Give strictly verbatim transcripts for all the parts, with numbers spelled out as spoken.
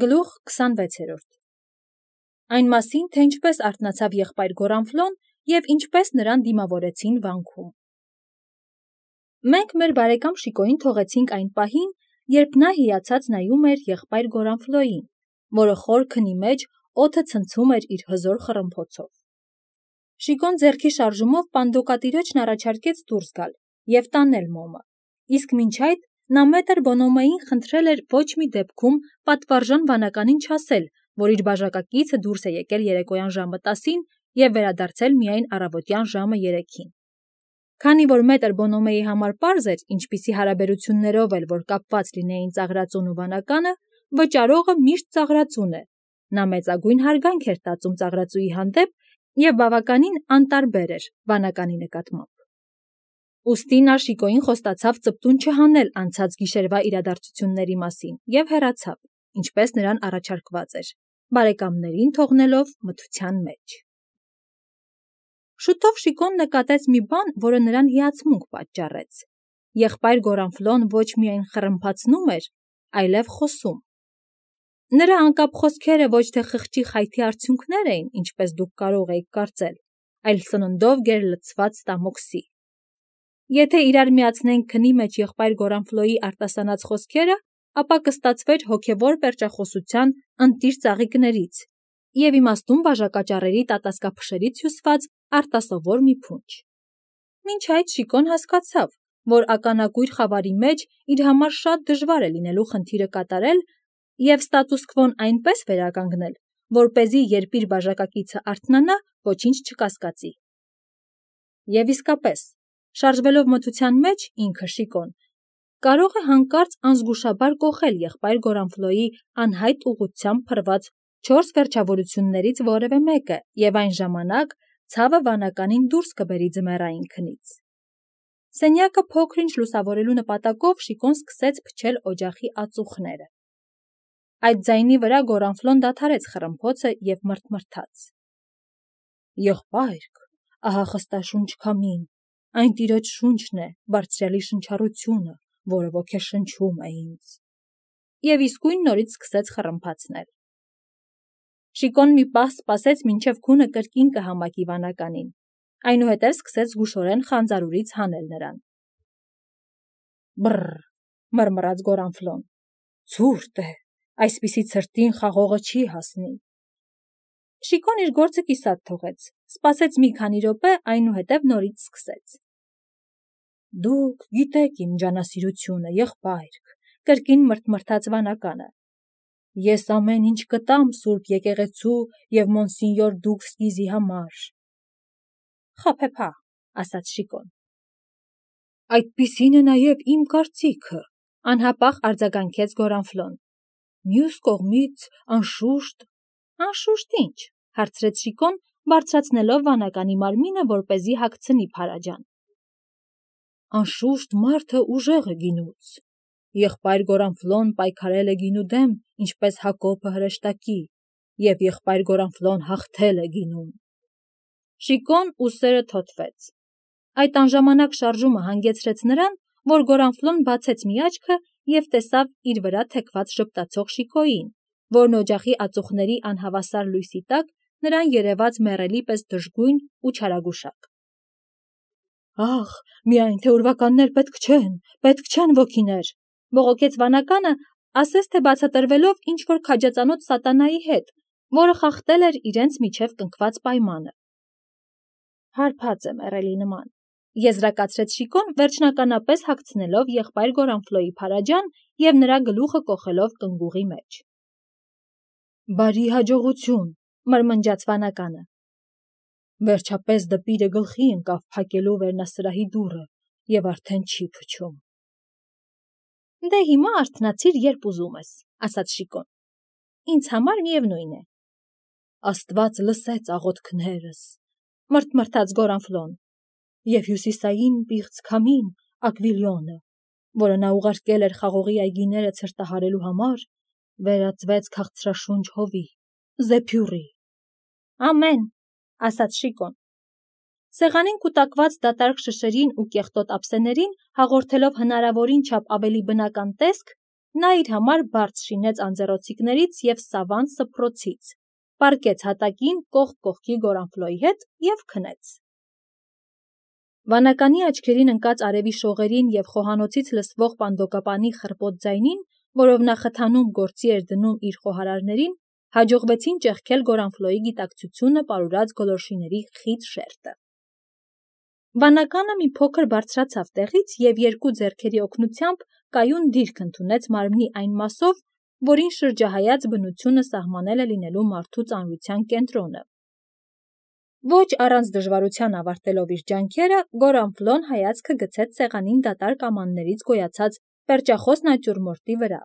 Գլուխ քսանվեցերորդ Այն մասին, թե ինչպես արթնացավ եղբայր Գորանֆլոն և ինչպես նրան դիմավորեցին վանքում։ Մենք մեր բարեկամ Շիկոյին թողեցինք այն պահին, երբ նա հիացած նայում էր եղբայր Գորանֆլոյին, որը խոր քնի մեջ օդը ցնցում էր իր հզոր խռմփոցով։ Շիկոն ձեռքի շարժումով պանդոկատիրոջն առաջարկեց դուրս գալ և տանել մոմը, իսկ մինչ այդ նա մետր Բոնոմեին խնդրել էր ոչ մի դեպքում պատվարժան վանականին չասել, որ իր բաժակակիցը դուրս է եկել երեկոյան ժամը տասին և վերադարձել միայն առավոտյան ժամը երեքին։ Քանի որ մետր Բոնոմեի համար պարզ էր, ինչպիսի հարաբերություններով էլ որ կապված լինեին ծաղրածուն ու վանականը, վճարողը միշտ ծաղրածուն է, նա մեծագույն հարգանք էր տածում ծաղրածուի հանդեպ և բավականին անտարբեր էր վանականի նկատմամբ։ Ուստի նա Շիկոյին խոստացավ ծպտուն չհանել անցած գիշերվա իրադարձությունների մասին և հեռացավ, ինչպես նրան առաջարկված էր, բարեկամներին թողնելով մթության մեջ։ Շուտով Շիկոն նկատեց մի բան, որը նրան հիացմունք պատճառեց։ Եղբայր Գորանֆլոն ոչ միայն խռմփացնում էր, այլև խոսում։ Նրա անկապ խոսքերը ոչ թե խղճի խայթի արդյունքներ էին, ինչպես դուք կարող էիք կարծել, այլ սննդով գերլցված ստամոքսի։ Եթե իրար միացնենք քնի մեջ եղբայր Գորանֆլոյի արտասանած խոսքերը, ապա կստացվեր հոգևոր պերճախոսության ընտիր ծաղիկներից և իմաստուն բաժակաճառերի տատասկափշերից հյուսված արտասովոր մի փունջ։ Մինչ այդ Շիկոն հասկացավ, որ ականակույր խավարի մեջ իր համար շատ դժվար է լինելու խնդիրը կատարել և ստատուս քվոն այնպես վերականգնել, որպեսզի երբ իր բաժակակիցը արթնանա, ոչինչ չկասկածի։ Եվ իսկապես, շարժվելով մթության մեջ, ինքը Շիկոն կարող է հանկարծ անզգուշաբար կոխել եղբայր Գորանֆլոյի անհայտ ուղղությամբ փռված չորս վերջավորություններից որևէ մեկը և այն ժամանակ ցավը վանականին դուրս կբերի ձմեռային քնից։ Սենյակը փոքր-ինչ լուսավորելու նպատակով Շիկոն սկսեց փչել օջախի ածուխները։ Այդ ձայնի վրա Գորանֆլոն դադարեց խռմփոցը և մռթմռթաց. Եղբայրք, ահա խստաշունչ քամին, այն տիրոջ շունչն է, բարձրյալի շնչառությունը, որը ոգեշնչում է ինձ։ Եվ իսկույն նորից սկսեց խռմփացնել։ Շիկոն մի պահ սպասեց, մինչև քունը կրկին կհամակի վանականին, այնուհետև սկսեց զգուշորեն խանձարուրից հանել նրան։ Բռռ, մռմռաց Գորանֆլոն, ցուրտ է, այսպիսի ցրտին խաղողը չի հասնի։ Շիկոն իր գործը կիսատ թողեց, սպասեց մի քանի րոպե, այնուհետև նորից սկսեց. Դուք գիտեք իմ ջանասիրությունը, եղբայրք, կրկին մռթմռթաց վանականը։ Ես ամեն ինչ կտամ Սուրբ եկեղեցու և Մոնսինյոր Դուքսգիզի համար։ Խաբեբա, ասաց Շիկոն։ Այդպիսին է նաև իմ կարծիքը, անհապաղ արձագանքեց Գորանֆլոն։ Մյուս կողմից, անշուշտ… Անշուշտ ի՞նչ, հարցրեց Շիկոն, բարձրացնելով վանականի մարմինը, որպեսզի հագցնի փարաջան։ Անշուշտ մարդը ուժեղ է գինուց։ Եղբայր Գորանֆլոն պայքարել է գինու դեմ, ինչպես Հակոբը հրեշտակի, և եղբայր Գորանֆլոն հաղթել է գինում։ Շիկոն ուսերը թոթվեց։ Այդ անժամանակ շարժումը հանգեցրեց նրան, որ Գորանֆլոն բացեց մի աչքը և տեսավ իր վրա թեքված ժպտացող Շիկոյին, որն օջախի ածուխների անհավասար լույսի տակ նրան երևաց մեռելի պես դժգույն ու չարագուշակ։ Ախ, միայն թե ուրվականներ պետք չեն, պետք չեն ոգիներ, բողոքեց վանականը, ասես թե բացատրվելով ինչ-որ քաջածանոթ սատանայի հետ, որը խախտել էր իրենց միջև կնքված պայմանը։ Հարբած է մեռելի նման, եզրակացրեց Շիկոն, վերջնականապես հագցնելով եղբայր Գորանֆլոյի փարաջան և նրա գլուխը կոխելով կնգուղի մեջ։ Բարի հաջողություն, մրմնջաց վանականը։ Վերջապես դպիրը գլխի ընկավ փակելու վերնասրահի դուռը և արդեն չի փչում։ Դե հիմա արթնացիր, երբ ուզում ես, ասաց Շիկոն։ Ինձ համար միևնույն է։ Աստված լսեց աղոթքներս, մռթմռթաց Գորանֆլոն, և հյուսիսային պիղծ քամին Ակվիլյոնը, որը նա ուղարկել էր խաղողի այգիները ցրտահարելու համար, վերածվեց քաղցրաշունչ հովի, զեփյուռի։ Ամեն, ասաց Շիկոն։ Սեղանին կուտակված դատարկ շշերին ու կեղտոտ ափսեներին հաղորդելով հնարավորին չափ ավելի բնական տեսք, նա իր համար բարձ շինեց անձեռոցիկներից և սավան սփռոցից, պառկեց հատակին կողք կողքի Գորանֆլոյի հետ և քնեց։ Վանականի աչքերին ընկած արևի շողերին և խոհանոցից լսվող պանդոկապանի խռպոտ ձայնին, որով նա խթանում գործի էր դնում իր խոհարարներին, հաջողվեցին ճեղքել Գորանֆլոյի գիտակցությունը պարուրած գոլորշիների խիտ շերտը։ Վանականը մի փոքր բարձրացավ տեղից և երկու ձեռքերի օգնությամբ կայուն դիրք ընդունեց մարմնի այն մասով, որին շրջահայաց բնությունը սահմանել է լինելու մարդու ծանրության կենտրոնը։ Ոչ առանց դժվարության ավարտելով իր ջանքերը, Գորանֆլոն հայացքը գցեց սեղանին դատարկ ամաններից գոյացած պերճախոս նատյուրմորտի վրա։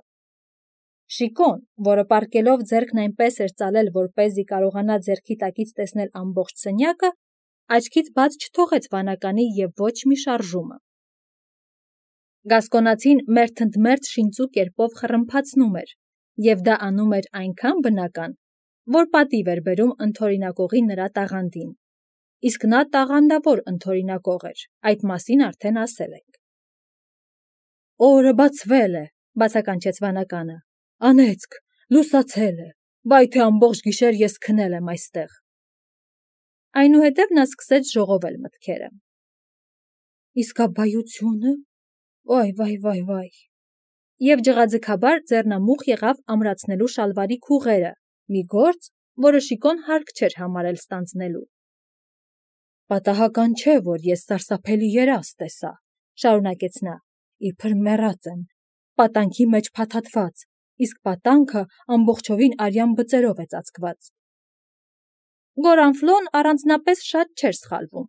Շիկոն, որը պառկելով ձեռքն այնպես էր ծալել, որպեսզի կարողանա ձեռքի տակից տեսնել ամբողջ սենյակը, աչքից բաց չթողեց վանականի և ոչ մի շարժումը։ Գասկոնացին մերթընդմերթ շինծու կերպով խռմփացնում էր, և դա անում էր այնքան բնական, որ պատիվ էր բերում ընդօրինակողի նրա տաղանդին, իսկ նա տաղանդավոր ընդօրինակող էր, այդ մասին արդեն ասել ենք։ «Օրը բացվել է», բացականչեց վանականը, «անեծք, լուսացել է, վայ թե ամբողջ գիշեր ես քնել եմ այստեղ»։ Այնուհետև նա սկսեց ժողովել մտքերը։ «Իսկաբայությո՞ւնը, վայ, վայ, վայ, վայ», և ջղաձգաբար ձեռնամուխ եղավ ամրացնելու շալվարի քուղերը, մի գործ, որը Շիկոն հարկ չէր համարել ստանձնելու։ «Պատահական չէ, որ ես սարսափելի երազ տեսա», շարունակեց նա, «իբր մեռած եմ, պատանքի մեջ փաթաթված, իսկ պատանքը ամբողջովին արյան բծերով է ծածկված»։ Գորանֆլոն առանձնապես շատ չէր սխալվում։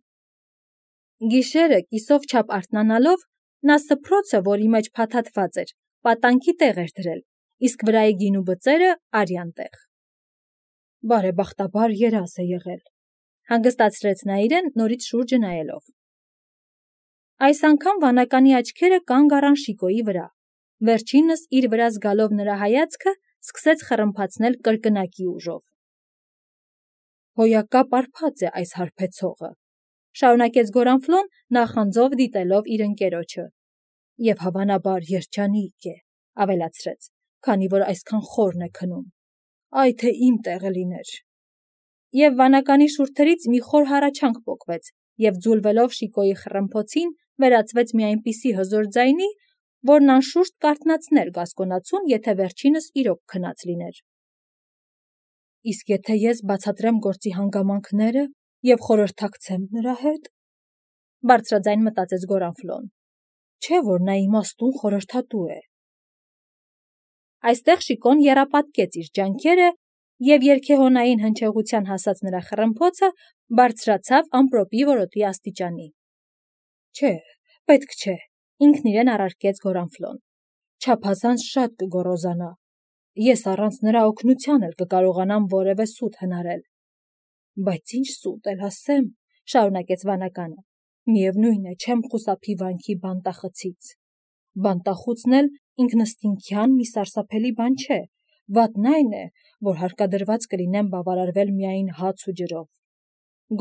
Գիշերը կիսով չափ արթնանալով, նա սփռոցը, որի մեջ փաթաթված էր, պատանքի տեղ էր դրել, իսկ վրայի գինու բծերը արյան տեղ։ «Բարեբախտաբար երազ է եղել», հանգստացրեց նա իրեն, նորից շուրջը նայելով։ Այս անգամ վանականի աչքերը կանգ առան Շիկոյի վրա, վերջինս իր վրա զգալով նրա հայացքը, սկսեց խռմփացնել կրկնակի ուժով։ «Հոյակապ արբած է այս հարբեցողը», շարունակեց Գորանֆլոն, նախանձով դիտելով իր ընկերոջը, «և հավանաբար երջանիկ է», ավելացրեց, «քանի որ այսքան խորն է քնում, այ թե իմ տեղը լիներ»։ Եվ վանականի շուրթերից մի խոր հառաչանք պոկվեց, և ձուլվելով Շիկոյի խռմփոցին, վերածվեց մի այնպիսի հզոր ձայնի, որն անշուշտ կարթնացներ գասկոնացուն, եթե վերջինս իրոք քնած լիներ։ «Իսկ եթե ես բացատրեմ գործի հանգամանքները և խորհրդակցեմ նրա հետ», բարձրաձայն մտածեց Գորանֆլոն, «չէ՞ որ նա իմաստուն խորհրդատու է»։ Այստեղ Շիկոն եռապատկեց իր ջանքերը, և երգեհոնային հնչեղության հասած նրա խռմփոցը բարձրացավ ամպրոպի որոտի աստիճանի։ «Չէ, պետք չէ», ինքն իրեն առարկեց Գորանֆլոն, «չափազանց շատ կգոռոզանա, ես առանց նրա օգնության էլ կկարողանամ որևէ սուտ հնարել»։ «Բայց ինչ սուտ էլ ասեմ», շարունակեց վանականը, «միևնույն է, չեմ խուսափի վանքի բանտախցից։ Բանտախուցն էլ ինքնըստինքյան մի սարսափելի բան չէ, վատն այն է, որ հարկադրված կլինեմ բավարարվել միայն հաց ու ջրով։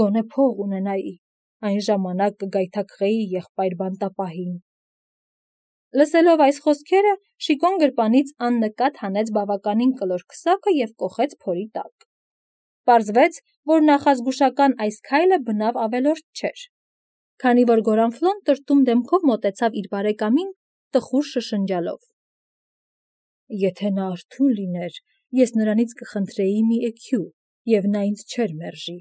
Գոնե փող ունենայի, այն ժամանակ կգայթակղեի եղբայր բանտապահին»։ Լսելով այս խոսքերը, Շիկոն գրպանից աննկատ հանեց բավականին կլոր քսակը և կոխեց փորի տակ։ Պարզվեց, որ նախազգուշական այս քայլը բնավ ավելորդ չէր, քանի որ Գորանֆլոն տրտում դեմքով մոտեցավ իր բարեկամին, տխուր շշնջալով. «Եթե նա արթուն լիներ, ես նրանից կխնդրեի մի էքյու, և նա ինձ չէր մերժի,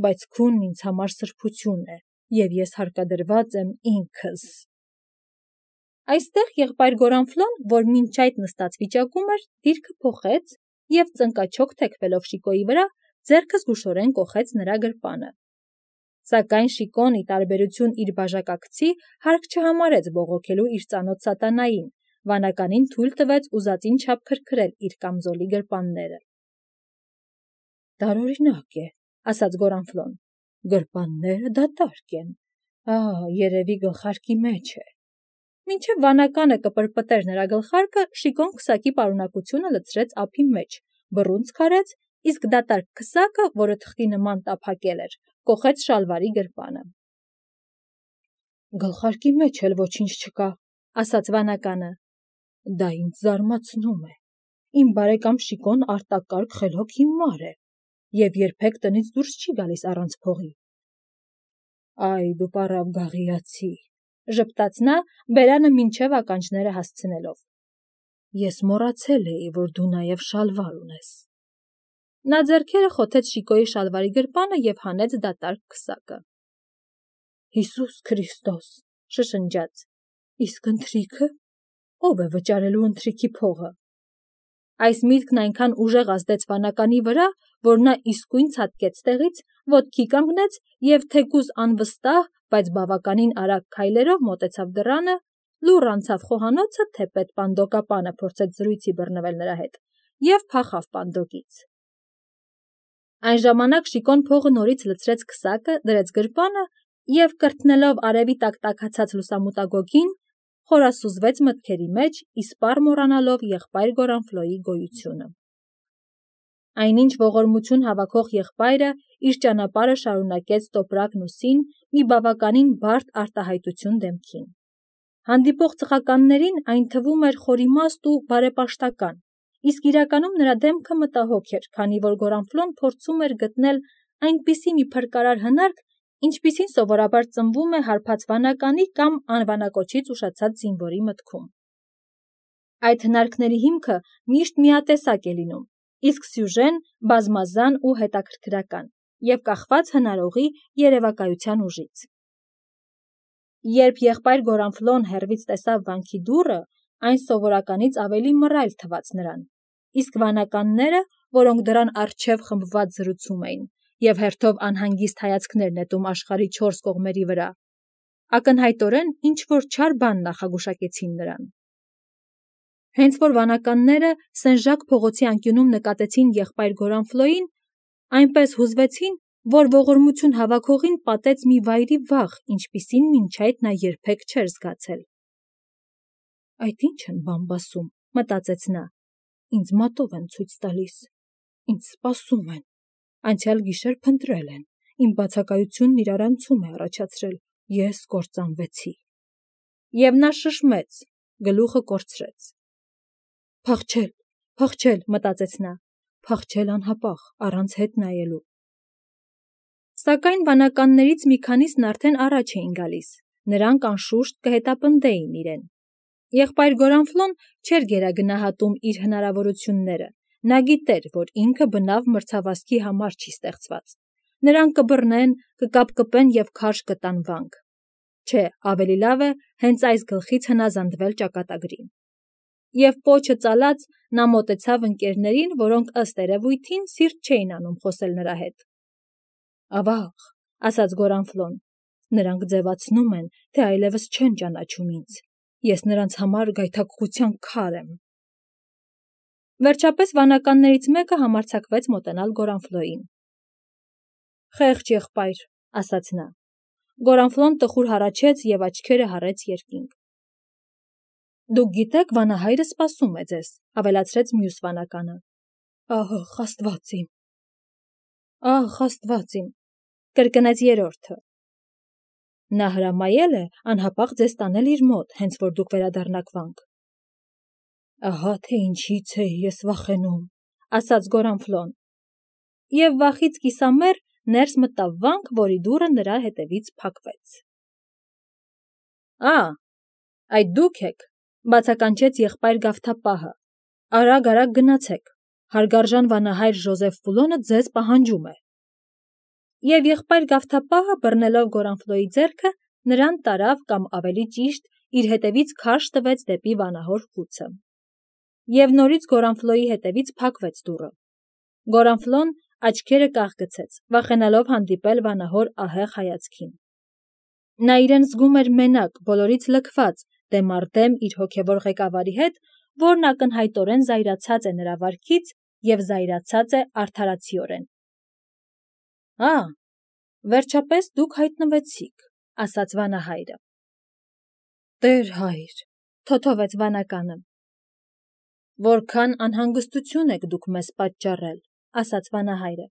բայց քունն ինձ համար սրբություն է, և ես հարկադրված եմ ինքս»։ Այստեղ եղբայր Գորանֆլոն, որ մինչ այդ նստած վիճակում էր, դիրքը փոխեց և, ծնկաչոք թեքվելով Շիկոյի վրա, ձեռքը զգուշորեն կոխեց նրա գրպանը։ Սակայն Շիկոն, ի տարբերություն իր բաժակակցի, հարկ չհամարեց բողոքելու իր ծանոթ սատանային, վանականին թույլ տվեց ուզածին չափ քրքրել իր կամզոլի գրպանները։ «Տարօրինակ է», ասաց Գորանֆլոն, «գրպանները դատարկ են, ահ, երևի գլխարկի մեջ է»։ Մինչև վանականը կպրպտեր նրա գլխարկը, Շիկոն քսակի պարունակությունը լցրեց ափի մեջ, բռունցք արեց, իսկ դատարկ քսակը, որը թղթի նման տափակել էր, կոխեց շալվարի գրպանը։ «Գլխարկի մեջ էլ ոչինչ չկա», ասաց վանականը, Դա ինձ զարմացնում է։ Իմ բարեկամ Շիկոն արտակարգ խելոք հիմար է և երբեք տնից դուրս չի գալիս առանց փողի։ Այ դու պառավ գաղիացի, ժպտաց նա, բերանը մինչև ականջները հասցնելով։ Ես մոռացել էի, որ դու նաև շալվար ունես։ Նա ձեռքերը խոթեց Շիկոյի շալվարի գրպանը և հանեց դատարկ քսակը։ Հիսուս Քրիստոս, շշնջաց, իսկ ընթրիքը, ով է վճարելու ընթրիքի փողը։ Այս միտքն այնքան ուժեղ ազդեց վանականի վրա, որ նա իսկույն ցատկեց տեղից, ոտքի կանգնեց և թեկուզ անվստահ, բայց բավականին արագ քայլերով մոտեցավ դռանը, լուռ անցավ խոհանոցը, թեպետ պանդոկապանը փորձեց զրույցի բռնվել նրա հետ, և փախավ պանդոկից։ Այն ժամանակ Շիկոն փողը նորից լցրեց քսակը, դրեց գրպանը և, կրթնելով արևի տակ տաքացած լուսամուտագոգին, խորասուզվեց մտքերի մեջ, իսպառ մոռանալով եղբայր Գորանֆլոյի գոյությունը։ Այնինչ ողորմություն հավաքող եղբայրը իր ճանապարհը շարունակեց տոպրակն ուսին մի բավականին բարդ արտահայտություն դեմքին։ Հանդիպող ծխականներին այն թվում էր խորիմաստ ու բարեպաշտական, իսկ իրականում նրա դեմքը մտահոգ էր, քանի որ Գորանֆլոն փորձում էր գտնել այնպիսի մի փրկարար հնարք, ինչպիսին սովորաբար ծնվում է հարբած վանականի կամ անվանակոչից ուշացած զինվորի մտքում։ Այդ հնարքների հիմքը միշտ միատեսակ է լինում, իսկ սյուժեն բազմազան ու հետաքրքրական և կախված հնարողի երևակայության ուժից։ Երբ եղբայր Գորանֆլոն հեռվից տեսավ վանքի դուռը, այն սովորականից ավելի մռայլ թվաց նրան, իսկ վանականները, որոնք դռան առջև խմբված զրուցում էին և հերթով անհանգիստ հայացքներ նետում աշխարհի չորս կողմերի վրա, ակնհայտորեն ինչ-որ չար բան նախագուշակեցին նրան։ Հենց որ վանականները Սեն-Ժակ փողոցի անկյունում նկատեցին եղբայր Գորանֆլոյին, այնպես հուզվեցին, որ ողորմություն հավաքողին պատեց մի վայրի վախ, ինչպիսին մինչ այդ նա երբեք չէր զգացել։ Այդ ի՞նչ են բամբասում, մտածեց նա, ինձ մատով են ցույց տալիս, ինձ սպասում են, անցյալ գիշեր փնտրել են, իմ բացակայությունն իրար անցում է առաջացրել, ես կործանվեցի։ Եվ նա շշմեց, գլուխը կորցրեց։ Փախչել, փախչել, մտածեց նա, փախչել անհապաղ, առանց հետ նայելու։ Սակայն վանականներից մի քանիսն արդեն առաջ էին գալիս, նրանք անշուշտ կհետապնդեին իրեն։ Եղբայր Գորանֆլոն չէր գերագնահատում իր հնարավորությունները, նա գիտեր, որ ինքը բնավ մրցավազքի համար չի ստեղծված։ Նրան կբռնեն, կկապկպեն և քարշ կտան վանք։ Չէ, ավելի լավ է հենց այս գլխից հնազանդվել ճակատագրին։ Եվ պոչը ծալած նա մոտեցավ ընկերներին, որոնք ըստ երևույթին սիրտ չէին անում խոսել նրա հետ։ Ավաղ, ասաց Գորանֆլոն, նրանք ձևացնում են, թե այլևս չեն ճանաչում ինձ, ես նրանց համար գայթակղության քար եմ։ Վերջապես վանականներից մեկը համարձակվեց մոտենալ Գորանֆլոյին։ Խեղճ եղբայր, ասաց նա։ Գորանֆլոն տխուր հառաչեց և աչքերը հառեց երկինք։ Դուք գիտեք, վանահայրը սպասում է ձեզ, ավելացրեց մյուս վանականը։ Ահ, Աստված իմ։ Ահ, Աստված իմ, կրկնեց երրորդը։ Նա հրամայել է անհապաղ ձեզ տանել իր մոտ, հենց որ դուք վերադառնաք վանք։ Ահա թե ինչից էի ես վախենում, ասաց Գորանֆլոն։ Եվ վախից կիսամեռ ներս մտավ վանք, որի դուռը նրա հետևից փակվեց։ Ա, այդ դուք եք, բացականչեց եղբայր Գավթապահը, արագ-արագ գնացեք, հարգարժան վանահայր Ժոզեֆ Ֆուլոնը ձեզ պահանջում է։ Եվ եղբայր Գավթապահը, բռնելով Գորանֆլոյի ձեռքը, նրան տարավ կամ ավելի ճիշտ իր հետևից քարշ տվեց դեպի վանահոր խուցը։ Եվ նորից Գորանֆլոյի հետևից փակվեց դուռը։ Գորանֆլոն աչքերը կաղգցեց, վախենալով հանդիպել վանահոր ահեղ հայացքին։ Նա իրեն զգում էր մենակ, բոլորից լքված, դեմ առ դեմ իր հոգևոր ղեկավարի հետ, որն ակնհայտորեն զայրացած է նրա վարքից և զայրացած է արդարացիորեն։ Ա, վերջապես դուք հայտնվեցիք, ասաց վանահայրը։ Տեր հայր, թոթովեց վանականը։ Որքան անհանգստություն եք դուք մեզ պատճառել, ասաց վանահայրը։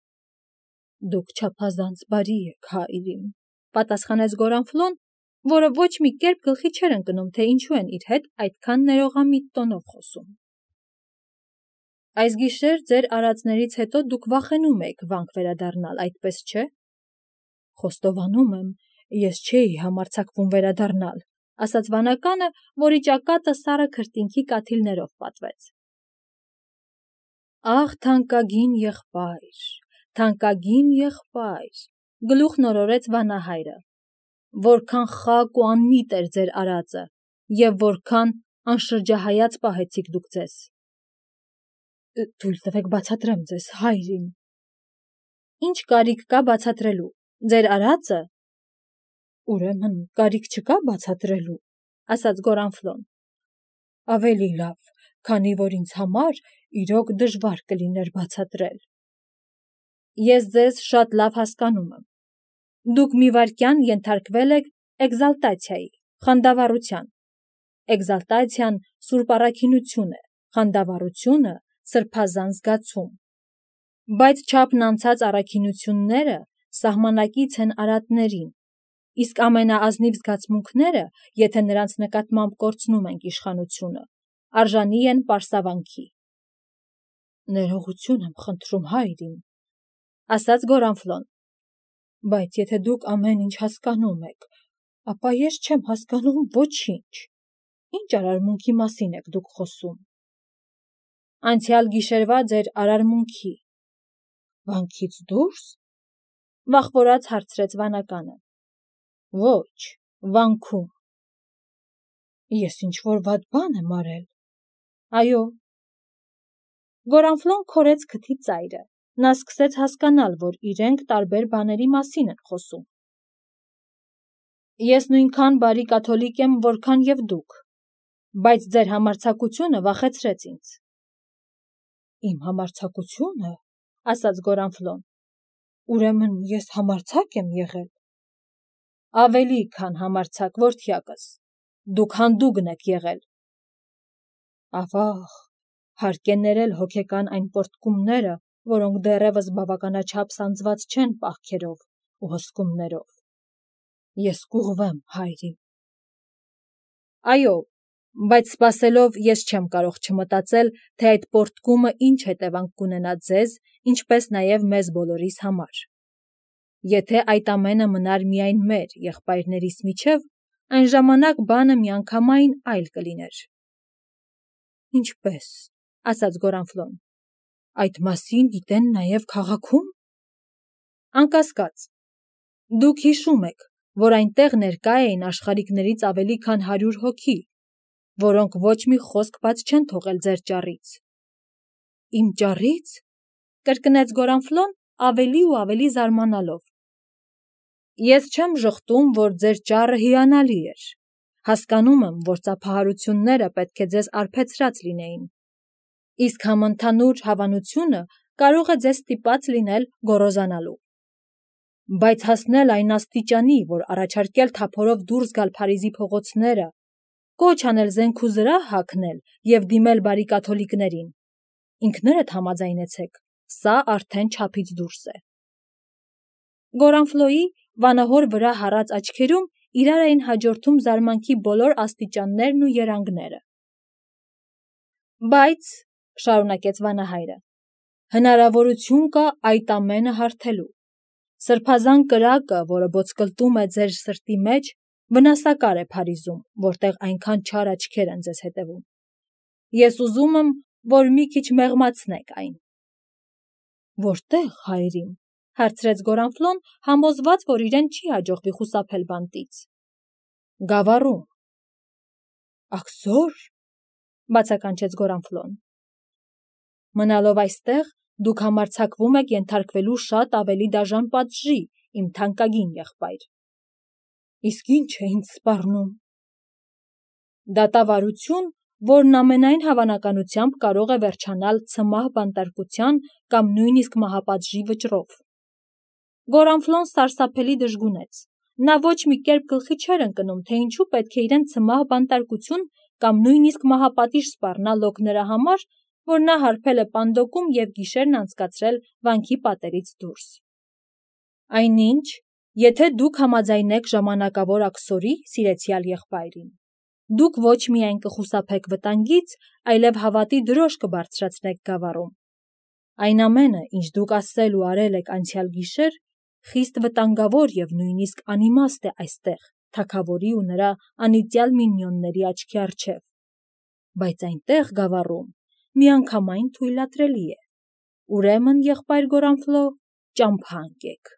Դուք չափազանց բարի եք, հայր իմ, պատասխանեց Գորանֆլոն որը ոչ մի կերպ գլխի չէր ընկնում, թե ինչու են իր հետ այդքան ներողամիտ տոնով խոսում։ Այս գիշեր ձեր արածներից հետո դուք վախենում եք վանք վերադառնալ, այդպես չէ։ Խոստովանում եմ, ես չէի համարձակվում վերադառնալ, ասաց վանականը, որի ճակատը սառը քրտինքի կաթիլներով պատվեց։ Աղ, թանկագին եղբայր, թանկագին եղբայր, գլուխն օրորեց վանահայրը, որքան խակ ու անմիտ էր ձեր արածը, և որքան անշրջահայաց պահեցիք դուք ձեզ։ Թույլ տվեք բացատրեմ ձեզ, հայրին։ Ինչ կարիք կա բացատրելու, ձեր արածը։ Ուրեմն կարիք չկա բացատրելու, ասաց Գորանֆլոն։ Ավելի լավ, քանի որ ինձ համար իրոք դժվար կլիներ բացատրել։ Ես ձեզ շատ լավ հասկանում եմ։ Դուք մի վայրկյան ենթարկվել եք էկզալտացիայի, խանդավառության։ Էկզալտացիան սուրբ առաքինություն է, խանդավառությունը սրբազան զգացում։ Բայց չափն անցած առաքինությունները սահմանակից են արատներին, իսկ ամենաազնիվ զգացմունքները, եթե նրանց նկատմամբ կորցնում ենք իշխանությունը, արժանի են պարսավանքի։ Ներողություն եմ խնդրում, հայրին, ասաց Գորանֆլոն, բայց եթե դուք ամեն ինչ հասկանում եք, ապա ես չեմ հասկանում ոչինչ։ Ինչ արարմունքի մասին եք դուք խոսում։ Անցյալ գիշերվա ձեր արարմունքի։ Վանքից դուրս։ Վախվորած հարցրեց վանականը։ Ոչ, վանքում։ Ես ինչ-որ վատ բան եմ արել։ Այո։ Գորանֆլոն քորեց քթի ծայրը։ Նա սկսեց հասկանալ, որ իրենք տարբեր բաների մասին են խոսում։ Ես նույնքան բարի կաթոլիկ եմ, որքան և դուք, բայց ձեր համարձակությունը վախեցրեց ինձ։ Իմ համարձակությունը, ասաց Գորանֆլոն, ուրեմն ես համարձակ եմ եղել։ Ավելի քան համարձակ, որդյակս, դուք հանդուգն եք եղել։ Ավաղ, հարկ է ներել հոգեկան այն պոռթկումները, որոնք դեռևս բավականաչափ սանձված չեն պահքերով ու հսկումներով։ Ես կուղվեմ, հայրին։ Այո, բայց սպասելով ես չեմ կարող չմտածել, թե այդ պոռթկումը ինչ հետևանք կունենա ձեզ, ինչպես նաև մեզ բոլորիս համար։ Եթե այդ ամենը մնար միայն մեր եղբայրներիս միջև, այն ժամանակ բանը միանգամայն այլ կլիներ։ Ինչպես, ասաց Գորանֆլոն, այդ մասին գիտեն նաև քաղաքում։ Անկասկած, դուք հիշում եք, որ այնտեղ ներկա էին աշխարհիկներից ավելի քան հարյուր հոգի, որոնք ոչ մի խոսք բաց չեն թողել ձեր ճառից։ Իմ ճառից, կրկնեց Գորանֆլոն ավելի ու ավելի զարմանալով։ Ես չեմ ժխտում, որ ձեր ճառը հիանալի էր։ Հասկանում եմ, որ ծափահարությունները պետք է ձեզ արբեցրած լինեին։ Իսկ համընդհանուր հավանությունը կարող է ձեզ ստիպած լինել գոռոզանալու։ Բայց հասնել այն աստիճանի, որ առաջարկել թափորով դուրս գալ Փարիզի փողոցները, կոչ անել զենք ու զրահ հագնել և դիմել բարի կաթոլիկներին, ինքներդ համաձայնեցեք, սա արդեն չափից դուրս է։ Գորանֆլոյի վանահոր վրա հառած աչքերում իրար էին հաջորդում զարմանքի բոլոր աստիճաններն ու երանգները։ Բայց, շարունակեց վանահայրը, հնարավորություն կա այդ ամենը հարթելու։ Սրբազան կրակը, որը ոսկլտում է ձեր սրտի մեջ, վնասակար է Փարիզում, որտեղ այնքան չար աչքեր են ձեզ հետևում։ Ես ուզում եմ, որ մի քիչ մեղմացնեք այն։ Որտեղ, հայրին, հարցրեց Գորանֆլոն, համոզված, որ իրեն չի հաջողվի խուսափել բանտից։ Գավառում։ Աքսո՞ր, բացականչեց Գորանֆլոն։ Մնալով այստեղ, դուք համարձակվում եք ենթարկվելու շատ ավելի դաժան պատժի, իմ թանկագին եղբայր։ Իսկ ինչ է ինձ սպառնում։ Դատավարություն, որն ամենայն հավանականությամբ կարող է վերջանալ ցմահ բանտարկության կամ նույնիսկ մահապատժի վճռով։ Գորանֆլոն սարսափելի դժգունեց։ Նա ոչ մի կերպ գլխի չէր ընկնում, թե ինչու պետք է իրեն ցմահ բանտարկություն կամ նույնիսկ մահապատիժ սպառնա լոկ նրա համար, որ նա հարբել է պանդոկում և գիշերն անցկացրել վանքի պատերից դուրս։ Այնինչ, Եթե դուք համաձայնեք ժամանակավոր աքսորի, սիրեցյալ եղբայրին, դուք ոչ միայն կխուսափեք վտանգից, այլև հավատի դրոշ կբարձրացնեք գավառում։ Այն ամենը, ինչ դուք ասել ու արել եք անցյալ գիշեր, խիստ վտանգավոր և նույնիսկ անիմաստ է այստեղ, թագավորի ու նրա անիծյալ մինիոնների աչքի առջև։ Բայց այնտեղ գավառում միանգամայն թույլատրելի է։ Ուրեմն, եղբայր Գորանֆլո, ճամփա ընկեք։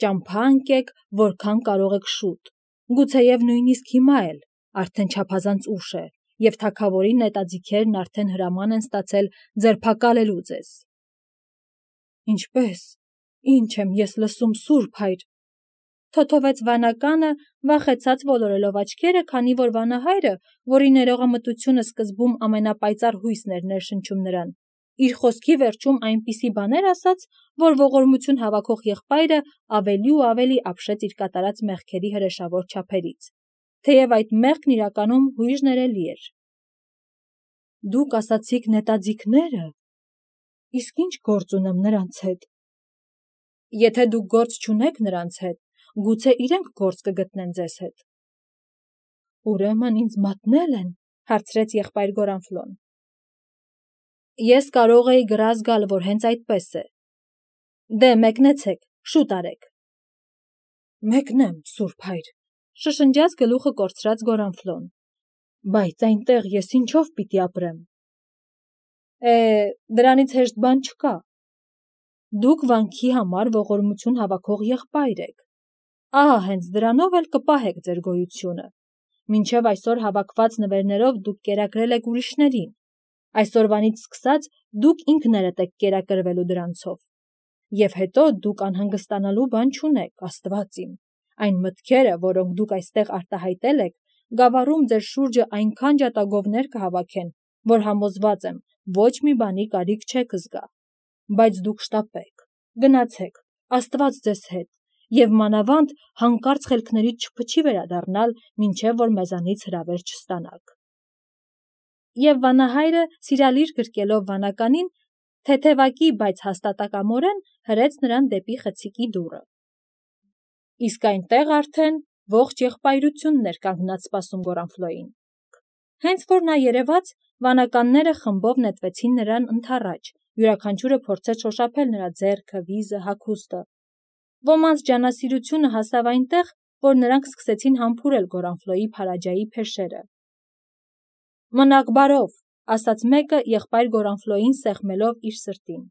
Ճամփա ընկեք, որքան կարող եք շուտ, գուցեև նույնիսկ հիմա էլ, արդեն չափազանց ուշ է, և թագավորի նետաձիգերն արդեն հրաման են ստացել ձերբակալելու ձեզ։ Ինչպե՞ս, ինչ եմ ես լսում, Սուրբ հայր, թոթովեց վանականը, վախեցած ոլորելով աչքերը, քանի որ վանահայրը, որի ներողամտությունը սկզբում ամենապայծառ հույսն էր ներշնչում նրան, իր խոսքի վերջում այնպիսի բաներ ասաց, որ ողորմություն հավաքող եղբայրը ավելի ու ավելի ապշեց իր կատարած մեղքերի հրեշավոր չափերից, թեև այդ մեղքն իրականում հույժ ներելի էր։ Դուք ասացիք նետաձիգները, իսկ ինչ գործ ունեմ նրանց հետ։ Եթե դուք գործ չունեք նրանց հետ, գուցե իրենք գործ կգտնեն ձեզ հետ։ Ուրեմն ինձ մատնել են, հարցրեց եղբայր Գորանֆլոն։ Ես կարող էի գրազ գալ, որ հենց այդպես է։ Դե մեկնեցեք, շուտ արեք։ Մեկնեմ, Սուրբ հայր, շշնջաց գլուխը կորցրած Գորանֆլոն։ Բայց այնտեղ ես ինչով պիտի ապրեմ։ Է, դրանից հեշտ բան չկա։ Դուք վանքի համար ողորմություն հավաքող եղբայր եք։ Ահա հենց դրանով էլ կպահեք ձեր գոյությունը։ Մինչև այսօր հավաքված նվերներով դուք կերակրել եք ուրիշներին։ Այսօրվանից սկսած դուք ինքներդ եք կերակրվելու դրանցով։ Եվ հետո դուք անհանգստանալու բան չունեք, Աստված իմ։ Այն մտքերը, որոնք դուք այստեղ արտահայտել եք, գավառում ձեր շուրջը այնքան ջատագովներ կհավաքեն, որ համոզված եմ, ոչ մի բանի կարիք չեք զգա։ Բայց դուք շտապեք, գնացեք, Աստված ձեզ հետ, և մանավանդ հանկարծ խելքներից չփչի վերադառնալ, մինչև որ մեզանից հրավեր չստանաք։ Եվ վանահայրը, սիրալիր գրկելով վանականին, թեթևակի, բայց հաստատակամորեն հրեց նրան դեպի խցիկի դուռը։ Իսկ այնտեղ արդեն ողջ եղբայրությունն էր կանգնած սպասում Գորանֆլոյին։ Հենց որ նա երևաց, վանականները խմբով նետվեցին նրան ընդառաջ, յուրաքանչյուրը փորձեց շոշափել նրա ձեռքը, վիզը, հագուստը։ Ոմանց ջանասիրությունը հասավ այնտեղ, որ նրանք սկսեցին համբուրել Գորանֆլոյի փարաջայի փեշերը։ Մնաք բարով, ասաց մեկը եղբայր Գորանֆլոյին սեղմելով իր սրտին։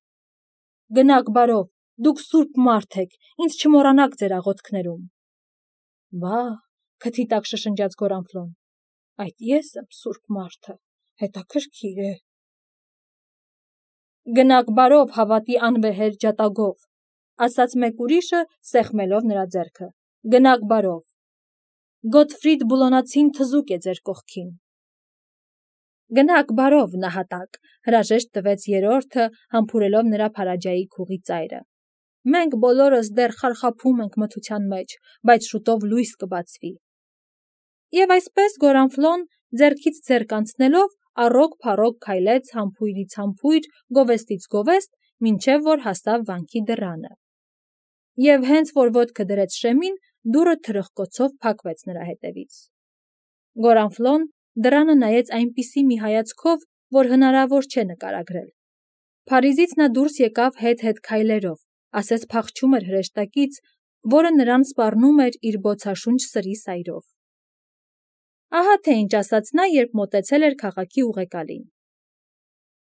Գնաք բարով, դուք սուրբ մարդ եք, ինձ չմոռանաք ձեր աղոթքներում։ Վա՜, քթի տակ շշնջաց Գորանֆլոն, այդ ես եմ սուրբ մարդը, հետաքրքիր է։ Գնաք բարով հավատի անվեհեր ջատագով, ասաց մեկ ուրիշը, սեղմելով նրա ձեռքը։ Գնաք բարով։ Գոթֆրիդ Բուլոնացին թզուկ է ձեր կողքին։ Գնաք բարով, նահատակ, հրաժեշտ տվեց երրորդը, համբուրելով նրա փարաջայի քուղի ծայրը։ Մենք բոլորս դեռ խարխափում ենք մթության մեջ, բայց շուտով լույս կբացվի։ Եվ այսպես Գորանֆլոն, ձեռքից ձեռք անցնելով, առոգ-փառոգ քայլեց համբույրից համբույր, գովեստից գովեստ, մինչև որ հասավ վանքի դռանը։ Եվ հենց որ ոտքը դրեց շեմին, դուռը թրխկոցով փակվեց նրա հետևից։ Գորանֆլոն դռանը նայեց այնպիսի մի հայացքով, որ հնարավոր չէ նկարագրել։ Փարիզից նա դուրս եկավ հետ-հետ քայլերով, ասես փախչում էր հրեշտակից, որը նրան սպառնում էր իր բոցաշունչ սրի սայրով։ Ահա թե ինչ ասաց նա, երբ մոտեցել էր քաղաքի ուղեկալին։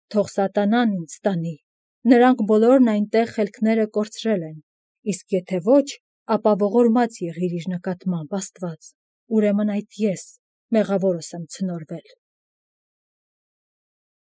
Թող սատանան ինձ տանի, նրանք բոլորն այնտեղ խելքները կորցրել են, իսկ եթե ոչ, ապա ողորմած եղիր իր նկատմամբ, Աստված, ուրեմն այդ ես, մեղավորս եմ ցնորվել։